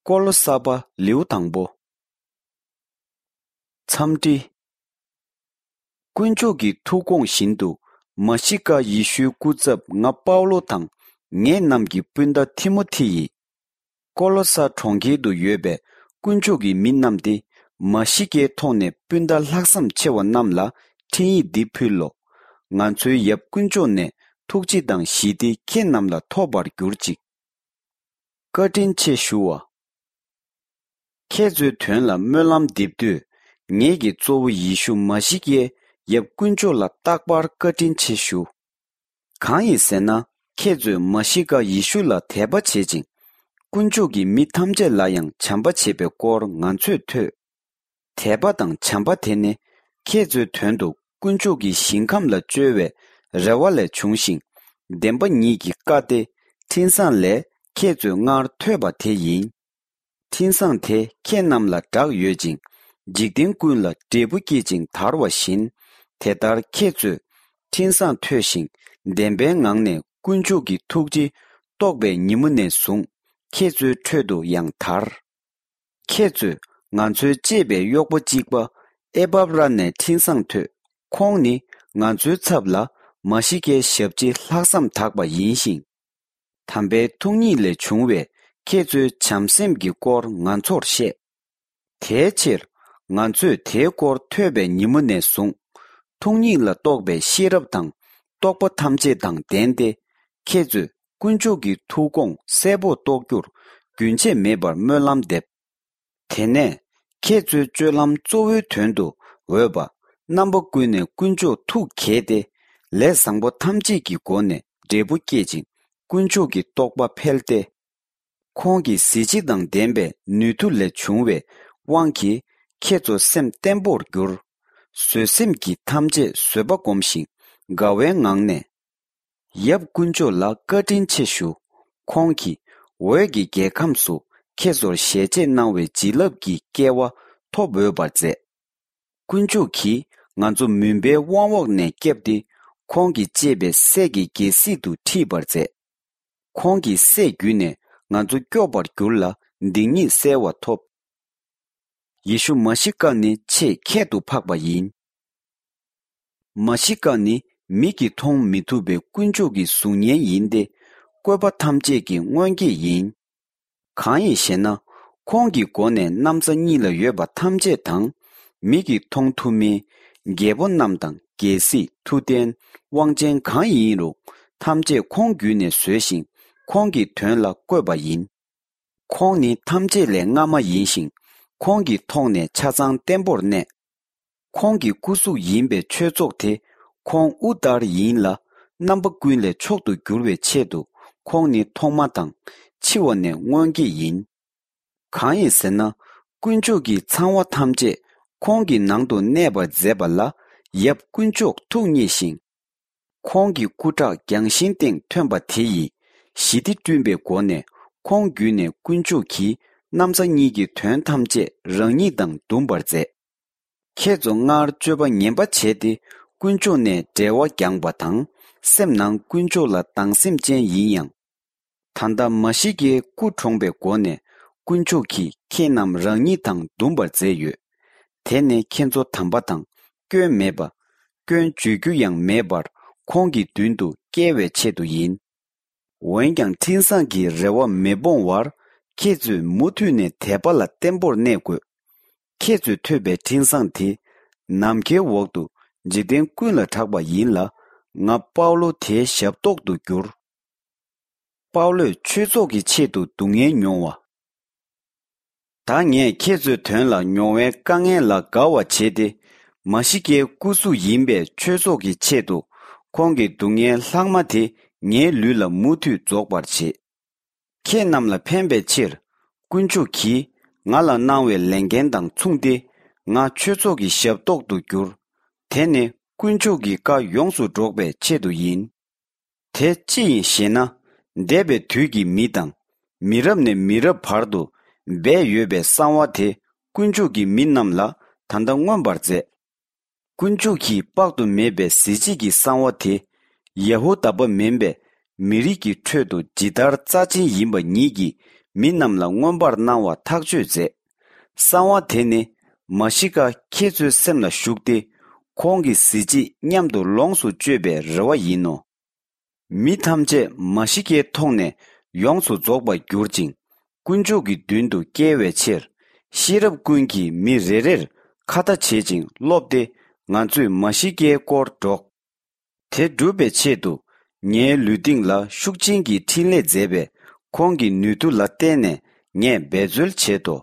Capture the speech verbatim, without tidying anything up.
ཀོ་ལོ་ས་པ་ལེའུ་དང་པོ། འཚམས་འདྲི། དཀོན་མཆོག་གི་ཐུགས་དགོངས་བཞིན་དུ་མ་ཤི་ཀ་ཡེ་ཤུའི་སྐུ་ཚབ་ང་པའུ་ལོ་དང་ངེད་རྣམས་ཀྱི་སྤུན་ཟླ་ཐི་མོ་ཐི་ཡིས། ཀོ་ལོ་ས་གྲོང་ཁྱེར་དུ་ཡོད་པའི་དཀོན་མཆོག་གི་མི་རྣམས་ཏེ། མ་ཤི་ཀའི་ཐོག་ནས་སྤུན་ཟླ་ལྷག་བསམ་ཆེ་བ་རྣམས་ལ་འཕྲིན་ཡིག་འདི་ཕུལ་ལོ། ང་ཚོའི་ཡབ་དཀོན་མཆོག་ནས་ཐུགས་རྗེ་དང་ཞི་བདེ་ཁྱེད་རྣམས་ལ་ཐོབ་པར་གྱུར་ཅིག། བཀའ་དྲིན་ཆེ་ཞུ་བ། ཁྱེད་ཚོའི་དོན་ལ་སྨོན་ལམ་འདེབས་དུས། ངེད་ཀྱི་གཙོ་བོ་ཡེ་ཤུ་མ་ཤི་ཀའི་ཡབ་དཀོན་མཆོག་ལ་རྟག་པར་བཀའ་དྲིན་ཆེ་ཞུ། གང་ཡིན་ཟེར་ན། ཁྱེད་ཚོས་མ་ཤི་ཀ་ཡེ་ཤུ་ལ་དད་པ་བྱེད་ཅིང་། དཀོན་མཆོག་གི་མི་ཐམས་ཅད་ལ་ཡང་བྱམས་པ་བྱེད་པའི་སྐོར་ང་ཚོས་ཐོས། དད་པ་དང་བྱམས་པ་དེ་ནི་ཁྱེད་ཚོའི་དོན་དུ་དཀོན་མཆོག་གི་ཞིང་ཁམས་ལ་བཅོལ་བའི་རེ་བ་ལས་བྱུང་ཞིང་། བདེན་པ་ཉིད་ཀྱི་བཀའ་སྟེ་འཕྲིན་བཟང་ལས་ཁྱེད་ཚོས་སྔར་ཐོས་པ་དེ་ཡིན། འཕྲིན་བཟང་དེ་ཁྱེད་རྣམས་ལ་བསྒྲགས་ཡོད་ཅིང་། འཇིག་རྟེན་ཀུན་ལ་འབྲས་བུ་སྐྱེད་ཅིང་དར་བ་བཞིན། དེ་ལྟར་ཁྱེད་ཚོས་འཕྲིན་བཟང་ཐོས་ཤིང་བདེན་པའི་ངང་ནས་དཀོན་མཆོག་གི་ཐུགས་རྗེ་རྟོགས་པའི་ཉིན་མོ་ནས་བཟུང་ཁྱེད་ཚོའི་ཁྲོད་དུ་ཡང་དར། ཁྱེད་ཚོས་ང་ཚོའི་གཅེས་པའི་གཡོག་པོ་གཅིག་པ་ཨེ་པབ་ར་ནས་འཕྲིན་བཟང་ཐོས། ཁོང་ནི་ང་ཚོའི་ཚབ་ལ་མ་ཤི་ཀའི་ཞབས་ཕྱི་ལྷག་བསམ་དག་པ་ཡིན་ཞིང་། དམ་པའི་ཐུགས་ཉིད་ལས་བྱུང་བའི་ཁྱེད་ཚོའི་བྱམས་སེམས་ཀྱི་སྐོར་ང་ཚོར་བཤད། དེའི་ཕྱིར་ང་ཚོས་དེའི་སྐོར་ཐོས་པའི་ཉིན་མོ་ནས་བཟུང་། ཐུགས་ཉིད་ལ་གཏོགས་པའི་ཤེས་རབ་དང་རྟོགས་པ་ཐམས་ཅད་དང་ལྡན་ཏེ། ཁྱེད་ཚོས་དཀོན་མཆོག་གི་ཐུགས་དགོངས་གསལ་པོར་རྟོགས་རྒྱུར་རྒྱུན་ཆད་མེད་པར་སྨོན་ལམ་འདེབས། དེ་ནས་ཁྱེད་ཚོའི་སྤྱོད་ལམ་གཙོ་བོའི་དོན་དུ་འོས་པ། རྣམ་པ་ཀུན་ནས་དཀོན་མཆོག་ཐུགས་དགྱེས་ཏེ། ལས་བཟང་པོ་ཐམས་ཅད་ཀྱི་སྒོ་ནས་འབྲས་བུ་སྐྱེད་ཅིང་དཀོན་མཆོག་གི་རྟོགས་པ་འཕེལ་ཏེ། ཁོང་གི་གཟི་བརྗིད་དང་ལྡན་པའི་ནུས་མཐུ་ལས་བྱུང་བའི་དབང་གིས་ཁྱེད་ཚོ་སེམས་བརྟན་པོར་གྱུར། བཟོད་སེམས་ཀྱིས་ཐམས་ཅད་བཟོད་པ་སྒོམ་ཞིང་དགའ་བའི་ངང་ནས། ཡབ་དཀོན་མཆོག་ལ་བཀའ་དྲིན་ཆེ་ཞུ། ཁོང་གིས་འོད་ཀྱི་རྒྱལ་ཁམས་སུ་ཁྱེད་ཚོར་ཞལ་ཆད་གནང་བའི་བྱིན་རླབས་ཀྱི་སྐལ་བ་ཐོབ་འོས་པར་མཛད། དཀོན་མཆོག་གིས་ང་ཚོ་མུན་པའི་དབང་འོག་ནས་བསྐྱབས་ཏེ། ཁོང་གིས་གཅེས་པའི་སྲས་ཀྱི་རྒྱལ་སྲིད་དུ་ཁྲིད་པར་མཛད། ཁོང་གི་སྲས་བརྒྱུད་ནས་ང་ཚོ་སྐྱོབ་པར་འགྱུར་ལ་སྡིག་ཉེས་གསལ་བ་ཐོབ། ཡེ་ཤུ་མ་ཤི་ཀ་ནི་ཆེས་ཁྱད་དུ་འཕགས་པ་ཡིན། མ་ཤི་ཀ་ནི་མིག་གིས་མཐོང་མི་ཐུབ་པའི་དཀོན་མཆོག་གི་གཟུགས་བརྙན་ཡིན་ཏེ། བཀོད་པ་ཐམས་ཅད་ཀྱི་སྔོན་སྐྱེས་ཡིན། གང་ཡིན་ཞེ་ན། ཁོང་གི་མགོ་ནས་གནམ་ས་གཉིས་ལ་ཡོད་པ་ཐམས་ཅད་དང་། མིག་གིས་མཐོང་ཐུབ་མིན། རྒྱལ་པོ་རྣམས་དང་རྒྱལ་སྲིད་མཐུ་ལྡན། དབང་ཅན་གང་ཡིན་རུང་། ཐམས་ཅད་ཁོང་བརྒྱུད་ནས་བཟོས་ཤིང་། ཁོང་གི་དོན་ལ་བཀོད་པ་ཡིན། ཁོང་ནི་ཐམས་ཅད་ལས་སྔ་མ་ཡིན་ཞིང་། ཁོང་གི་ཐོག་ནས་ཆ་ཚང་བརྟན་པོར་གནས། ཁོང་གི་སྐུ་གཟུགས་ཡིན་པའི་ཆོས་ཚོགས་དེ་ཁོང་དབུ་ལྟར་ཡིན་ལ། རྣམ་པ་ཀུན་ལས་མཆོག་ཏུ་གྱུར་བའི་ཆེད་དུ། ཁོང་ནི་ཐོག་མ་དང་། འཆི་བ་ནས་སྔོན་སྐྱེས་ཡིན། གང་ཡིན་ཟེར་ན། དཀོན་མཆོག་གིས་ཚང་བ་ཐམས་ཅད་ཁོང་གི་ནང་དུ་གནས་པར་མཛད་པ་ལ། ཡབ་དཀོན་མཆོག་ཐུགས་མཉེས་ཤིང་། ཁོང་གི་སྐུ་ཁྲག་རྒྱང་ཤིང་སྟེང་ཐོན་པ་དེ་ཡིས་ཞི་བདེ་བསྐྲུན་པའི་སྒོ་ནས། ཁོང་བརྒྱུད་ནས་དཀོན་མཆོག་གིས་གནམ་ས་གཉིས་ཀྱི་དོན་ཐམས་ཅད་རང་ཉིད་དང་འདུམ་པར་མཛད། ཁྱེད་ཚོ་སྔར་སྤྱོད་པ་ངན་པ་བྱས་ཏེ། དཀོན་མཆོག་ནས་འབྲེལ་བ་འགྱངས་པ་དང་། སེམས་ནང་དཀོན་མཆོག་ལ་སྡང་སེམས་ཅན་ཡིན་ཡང་། ད་ལྟ་མ་ཤི་ཀའི་སྐུ་གྲོངས་པའི་སྒོ་ནས། དཀོན་མཆོག་གིས་ཁྱེད་རྣམས་རང་ཉིད་དང་འདུམ་པར་མཛད་ཡོད། དེ་ནི་ཁྱེད་ཚོ་དམ་པ་དང་སྐྱོན་མེད་པ། སྐྱོན་བརྗོད་རྒྱུ་ཡང་མེད་པར། ཁོང་གི་མདུན་དུ་སྐྱེལ་བའི་ཆེད་དུ་ཡིན། འོན་ཀྱང་འཕྲིན་བཟང་གི་རེ་བ་མི་སྤོང་བར། ཁྱེད་ཚོས་མུ་མཐུད་ནས་དད་པ་ལ་བརྟན་པོར་གནས་དགོས། ཁྱེད་ཚོས་ཐོས་པའི་འཕྲིན་བཟང་དེ། ནམ་མཁའི་འོག་ཏུ་འཇིག་རྟེན་ཀུན་ལ་གྲགས་པ་ཡིན་ལ། ང་པའུ་ལོ་དེའི་ཞབས་ཏོག་ཏུ་གྱུར། པའུ་ལོས་ཆོས་ཚོགས་ཀྱི་ཆེད་དུ་སྡུག་བསྔལ་མྱོང་བ། ད་ངས་ཁྱེད་ཚོའི་དོན་ལ་མྱོང་བའི་དཀའ་ངལ་ལ་དགའ་བ་བྱས་ཏེ། མ་ཤི་ཀའི་སྐུ་གཟུགས་ཡིན་པའི་ཆོས་ཚོགས་ཀྱི་ཆེད་དུ། ཁོང་གི་སྡུག་བསྔལ་ལྷག་མ་དེ་ངའི་ལུས་ལ་མུ་མཐུད་རྫོགས་པར་བྱེད། ཁྱེད་རྣམས་ལ་ཕན་པའི་ཕྱིར། དཀོན་མཆོག་གིས་ང་ལ་གནང་བའི་ལས་འགན་དང་མཚུངས་ཏེ། ང་ཆོས་ཚོགས་ཀྱི་ཞབས་ཏོག་ཏུ་གྱུར། དེ་ནི་དཀོན་མཆོག་གི་བཀའ་ཡོངས་སུ་སྒྲོག་པའི་ཆེད་དུ་ཡིན། དེ་ཅི་ཡིན་ཞེ་ན། འདས་པའི་དུས་ཀྱི་མི་དང་། མི་རབས་ནས་མི་རབས་བར་དུ་སྦས་ཡོད་པའི་གསང་བ་དེ། དཀོན་མཆོག་གིས་མི་རྣམས་ལ་ད་ལྟ་མངོན་པར་མཛད། དཀོན་མཆོག་གིས་དཔག་ཏུ་མེད་པའི་གཟི་བརྗིད་ཀྱི་གསང་བ་དེ། ཡ་ཧུ་དཱ་པ་མིན་པའི་མི་རིགས་ཀྱི་ཁྲོད་དུ་ཇི་ལྟར་རྩ་ཆེན་ཡིན་པ་ཉིད་ཀྱིས། མི་རྣམས་ལ་མངོན་པར་སྣང་བ་ཐག་གཅོད་མཛད། གསང་བ་དེ་ནི་མ་ཤི་ཀ་ཁྱེད་ཚོའི་སེམས་ལ་ཞུགས་ཏེ། ཁོང་གི་གཟི་བརྗིད་མཉམ་དུ་ལོངས་སུ་སྤྱོད་པའི་རེ་བ་ཡིན་ནོ། མི་ཐམས་ཅད་མ་ཤི་ཀའི་ཐོག་ནས་ཡོངས་སུ་རྫོགས་པར་གྱུར་ཅིང་། དཀོན་མཆོག་གི་མདུན་དུ་སྐྱེལ་བའི་ཕྱིར། ཤེས་རབ་ཀུན་གྱིས་མི་རེ་རེར་ཁ་བརྡ་བྱེད་ཅིང་སློབ་སྟེ། ང་ཚོས་མ་ཤི་ཀའི་སྐོར་སྒྲོག། དེ་སྒྲུབ་པའི་ཆེད་དུ། ངའི་ལུས་སྟེང་ལ་ཤུགས་ཅན་གྱི་འཕྲིན་ལས་མཛད་པས། ཁོང་གི་ནུས་མཐུ་ལ་བརྟེན་ནས་ངས་འབད་རྩོལ་བྱེད་དོ།